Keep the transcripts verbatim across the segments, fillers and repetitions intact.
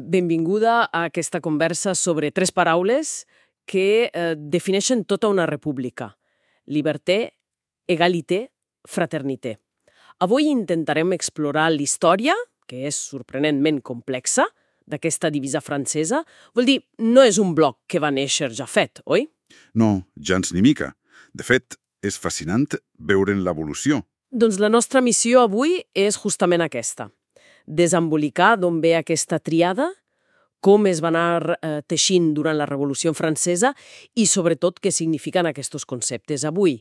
Benvinguda a aquesta conversa sobre tres paraules que eh, defineixen tota una república. Liberté, égalité, fraternité. Avui intentarem explorar l'història, que és sorprenentment complexa, d'aquesta divisa francesa. Vol dir, no és un bloc que va néixer ja fet, oi? No, gens ni mica. De fet, és fascinant veure'n l'evolució. Doncs la nostra missió avui és justament aquesta. Desembolicar d'on ve aquesta triada, com es va anar eh, teixint durant la Revolució Francesa i, sobretot, què signifiquen aquests conceptes avui.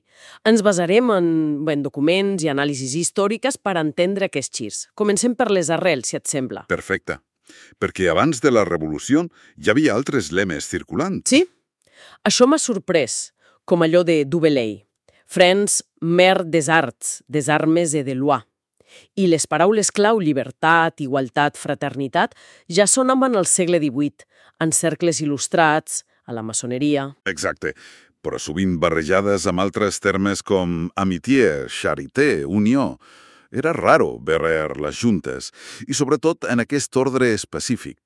Ens basarem en, bé, en documents i anàlisis històriques per entendre aquests girs. Comencem per les arrels, si et sembla. Perfecte. Perquè abans de la Revolució hi havia altres lemes circulant. Sí? Això m'ha sorprès, com allò de Du Bellay. France, mère des arts, des armes et de loi. I les paraules clau llibertat, igualtat, fraternitat ja sonaven al segle divuit, en cercles il·lustrats, a la maçoneria. Exacte, però sovint barrejades amb altres termes com amitié, charité, unió. Era raro veure-les juntes, i sobretot en aquest ordre específic.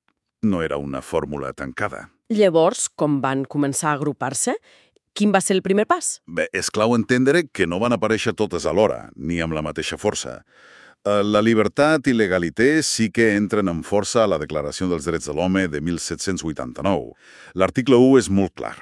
No era una fórmula tancada. Llavors, com van començar a agrupar-se, quin va ser el primer pas? Bé, és clau entendre que no van aparèixer totes alhora, ni amb la mateixa força. La llibertat i l'egalité sí que entren amb força a la Declaració dels Drets de l'Home de mil set-cents vuitanta-nou. L'article u és molt clar.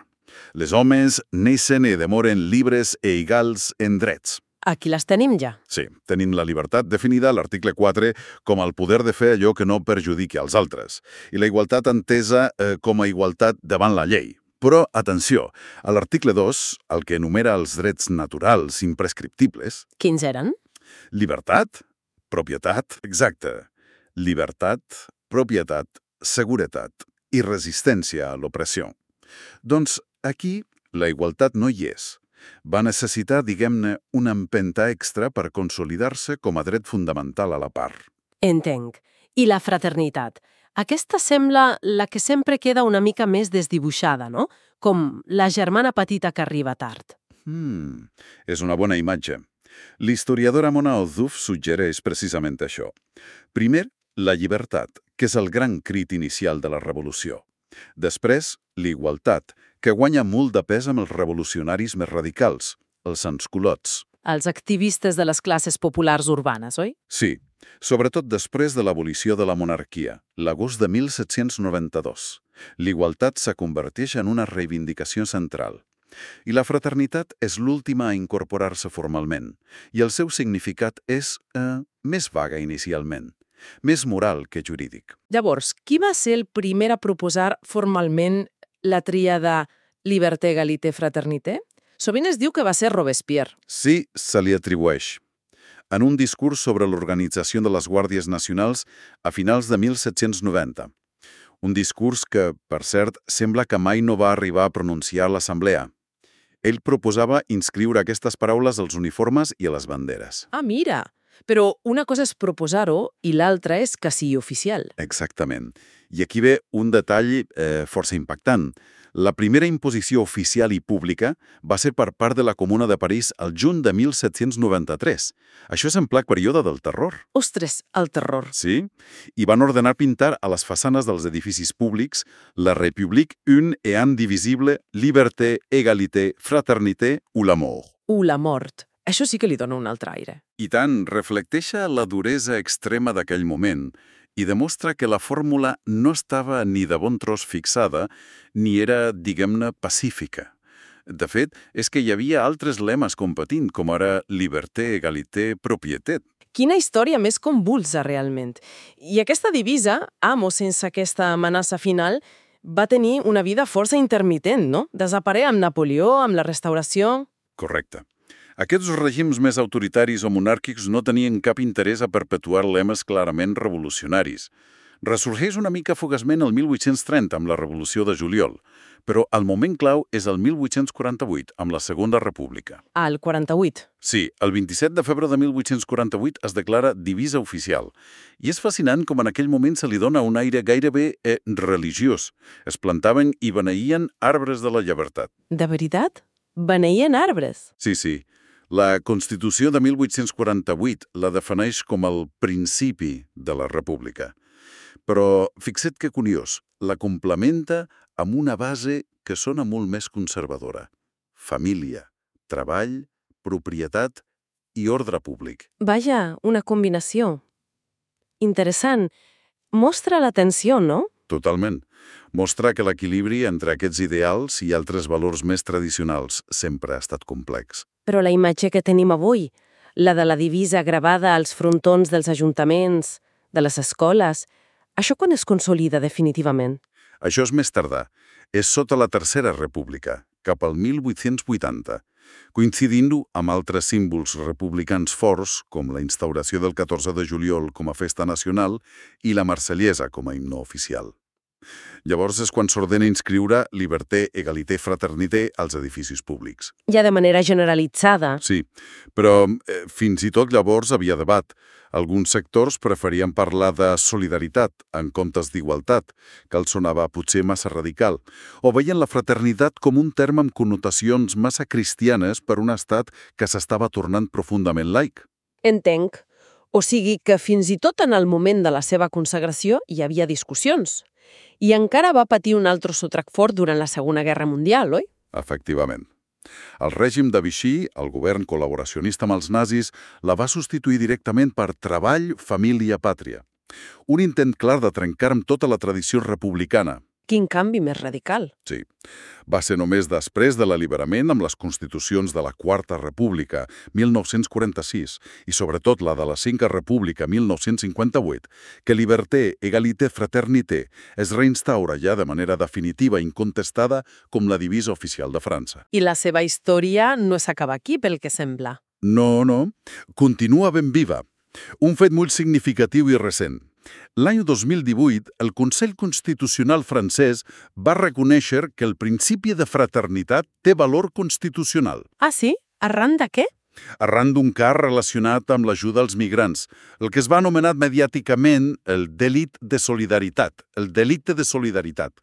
Les homes neixen i demoren llibres e egals en drets. Aquí les tenim ja. Sí, tenim la llibertat definida a l'article quatre com el poder de fer allò que no perjudiqui als altres, i la igualtat entesa eh, com a igualtat davant la llei. Però, atenció, a l'article dos, el que enumera els drets naturals imprescriptibles... Quins eren? Llibertat, propietat, exacte. Llibertat, propietat, seguretat i resistència a l'opressió. Doncs aquí la igualtat no hi és. Va necessitar, diguem-ne, una empenta extra per consolidar-se com a dret fundamental a la part. Entenc. I la fraternitat? Aquesta sembla la que sempre queda una mica més desdibuixada, no? Com la germana petita que arriba tard. Hmm, és una bona imatge. L'historiadora Mona Ozouf suggereix precisament això. Primer, la llibertat, que és el gran crit inicial de la revolució. Després, l'igualtat, que guanya molt de pes amb els revolucionaris més radicals, els sansculots. Els activistes de les classes populars urbanes, oi? Sí, sobretot després de l'abolició de la monarquia, l'agost de mil set-cents noranta-dos. L'igualtat se converteix en una reivindicació central. I la fraternitat és l'última a incorporar-se formalment, i el seu significat és eh, més vaga inicialment, més moral que jurídic. Llavors, qui va ser el primer a proposar formalment la tríada liberté, égalité, fraternité? Sovint es diu que va ser Robespierre. Sí, se li atribueix. En un discurs sobre l'organització de les Guàrdies Nacionals a finals de mil set-cents noranta. Un discurs que, per cert, sembla que mai no va arribar a pronunciar a l'Assemblea. Ell proposava inscriure aquestes paraules als uniformes i a les banderes. Ah, mira! Però una cosa és proposar-ho i l'altra és que sigui oficial. Exactament. I aquí ve un detall eh, força impactant. La primera imposició oficial i pública va ser per part de la Comuna de París al juny de mil set-cents noranta-tres. Això és en ple període del terror. Ostres, el terror. Sí, i van ordenar pintar a les façanes dels edificis públics la République une et indivisible, liberté, égalité, fraternité ou la mort. U la mort. Això sí que li dona un altre aire. I tant, reflecteixa la duresa extrema d'aquell moment i demostra que la fórmula no estava ni de bon tros fixada, ni era, diguem-ne, pacífica. De fet, és que hi havia altres lemes competint, com ara liberté, égalité, propietat. Quina història més convulsa, realment. I aquesta divisa, amb o sense aquesta amenaça final, va tenir una vida força intermitent, no? Desapareix amb Napoleó, amb la Restauració... Correcte. Aquests règims més autoritaris o monàrquics no tenien cap interès a perpetuar lemes clarament revolucionaris. Ressorgeix una mica fugaçment el mil vuit-cents trenta amb la Revolució de Juliol, però el moment clau és el mil vuit-cents quaranta-vuit, amb la Segona República. Ah, el quaranta-vuit. Sí, el vint-i-set de febrer de mil vuit-cents quaranta-vuit es declara divisa oficial. I és fascinant com en aquell moment se li dona un aire gairebé eh, religiós. Es plantaven i beneïen arbres de la llibertat. De veritat? Beneïen arbres? Sí, sí. La Constitució de mil vuit-cents quaranta-vuit la defineix com el principi de la República. Però fixa't que curiós, la complementa amb una base que sona molt més conservadora. Família, treball, propietat i ordre públic. Vaja, una combinació. Interessant. Mostra la tensió, no? Totalment. Mostra que l'equilibri entre aquests ideals i altres valors més tradicionals sempre ha estat complex. Però la imatge que tenim avui, la de la divisa gravada als frontons dels ajuntaments, de les escoles, això quan es consolida definitivament? Això és més tardà. És sota la Tercera República, cap al mil vuit-cents vuitanta, coincidint-ho amb altres símbols republicans forts, com la instauració del catorze de juliol com a festa nacional i la Marsellesa com a himne oficial. Llavors és quan s'ordena inscriure Liberté, Égalité, Fraternité als edificis públics. Ja de manera generalitzada. Sí, però eh, fins i tot llavors havia debat. Alguns sectors preferien parlar de solidaritat en comptes d'igualtat, que els sonava potser massa radical, o veien la fraternitat com un terme amb connotacions massa cristianes per un estat que s'estava tornant profundament laic. Entenc. O sigui que fins i tot en el moment de la seva consagració hi havia discussions. I encara va patir un altre sotrac fort durant la Segona Guerra Mundial, oi? Efectivament. El règim de Vichy, el govern col·laboracionista amb els nazis, la va substituir directament per Treball, Família, Pàtria. Un intent clar de trencar amb tota la tradició republicana. Quin canvi més radical. Sí. Va ser només després de l'alliberament amb les constitucions de la Quarta República, mil nou-cents quaranta-sis, i sobretot la de la Cinca República, mil nou-cents cinquanta-vuit, que Liberté, Égalité, Fraternité es reinstaura ja de manera definitiva i incontestada com la divisa oficial de França. I la seva història no s'acaba aquí, pel que sembla. No, no. Continua ben viva. Un fet molt significatiu i recent. L'any dos mil divuit, el Consell Constitucional francès va reconèixer que el principi de fraternitat té valor constitucional. Ah, sí? Arran de què? Arran d'un cas relacionat amb l'ajuda als migrants, el que es va anomenar mediàticament el delit de solidaritat, el delicte de solidaritat.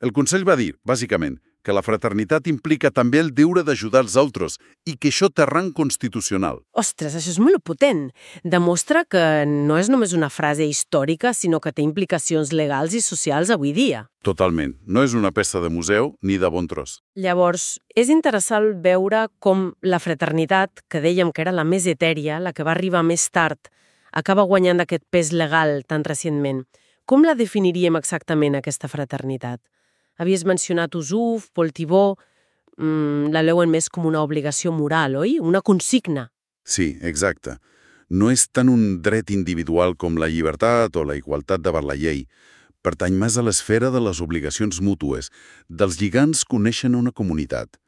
El Consell va dir, bàsicament, que la fraternitat implica també el deure d'ajudar els altres i que això té rang constitucional. Ostres, això és molt potent. Demostra que no és només una frase històrica, sinó que té implicacions legals i socials avui dia. Totalment. No és una peça de museu ni de bon tros. Llavors, és interessant veure com la fraternitat, que dèiem que era la més etèria, la que va arribar més tard, acaba guanyant aquest pes legal tan recentment. Com la definiríem exactament, aquesta fraternitat? Havies mencionat Usuf, Paul Thibault, mmm, la veuen més com una obligació moral, oi? Una consigna. Sí, exacte. No és tant un dret individual com la llibertat o la igualtat davant la llei. Pertany més a l'esfera de les obligacions mútues, dels lligams que uneixen una comunitat.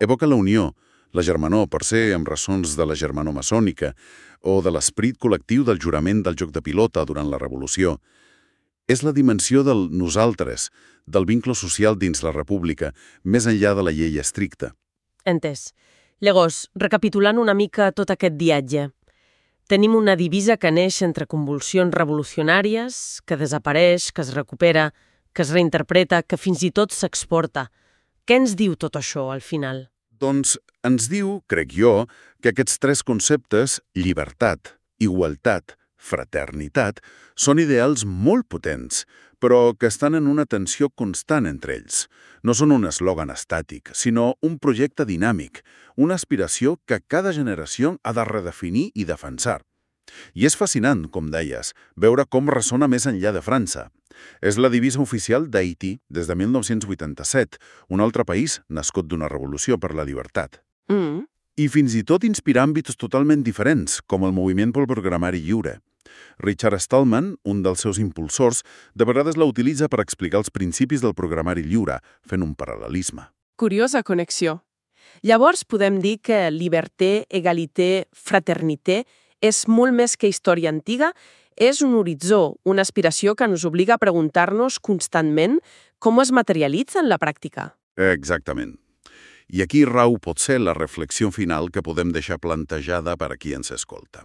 Evoca la unió, la germanor, per ser amb ressons de la germanor maçònica, o de l'esperit col·lectiu del jurament del joc de pilota durant la Revolució. És la dimensió del nosaltres, del vincle social dins la república, més enllà de la llei estricta. Entès. Llavors, recapitulant una mica tot aquest viatge, tenim una divisa que neix entre convulsions revolucionàries, que desapareix, que es recupera, que es reinterpreta, que fins i tot s'exporta. Què ens diu tot això, al final? Doncs ens diu, crec jo, que aquests tres conceptes, llibertat, igualtat, fraternitat, són ideals molt potents, però que estan en una tensió constant entre ells. No són un eslògan estàtic, sinó un projecte dinàmic, una aspiració que cada generació ha de redefinir i defensar. I és fascinant, com deies, veure com ressona més enllà de França. És la divisa oficial d'Haití des de mil nou-cents vuitanta-set, un altre país nascut d'una revolució per la llibertat. Mm. I fins i tot inspirar àmbits totalment diferents, com el moviment pel programari lliure. Richard Stallman, un dels seus impulsors, de vegades la utilitza per explicar els principis del programari lliure, fent un paral·lelisme. Curiosa connexió. Llavors podem dir que Liberté, Égalité, Fraternité és molt més que història antiga, és un horitzó, una aspiració que ens obliga a preguntar-nos constantment com es materialitza en la pràctica. Exactament. I aquí rau potser la reflexió final que podem deixar plantejada per a qui ens escolta.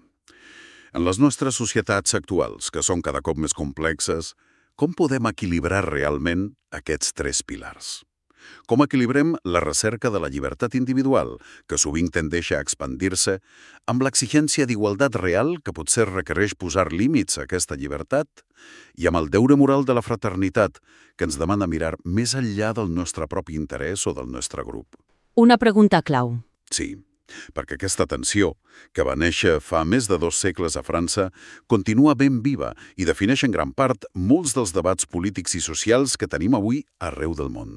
En les nostres societats actuals, que són cada cop més complexes, com podem equilibrar realment aquests tres pilars? Com equilibrem la recerca de la llibertat individual, que sovint tendeix a expandir-se, amb l'exigència d'igualtat real, que potser requereix posar límits a aquesta llibertat, i amb el deure moral de la fraternitat, que ens demana mirar més enllà del nostre propi interès o del nostre grup. Una pregunta clau. Sí, perquè aquesta tensió, que va néixer fa més de dos segles a França, continua ben viva i defineix en gran part molts dels debats polítics i socials que tenim avui arreu del món.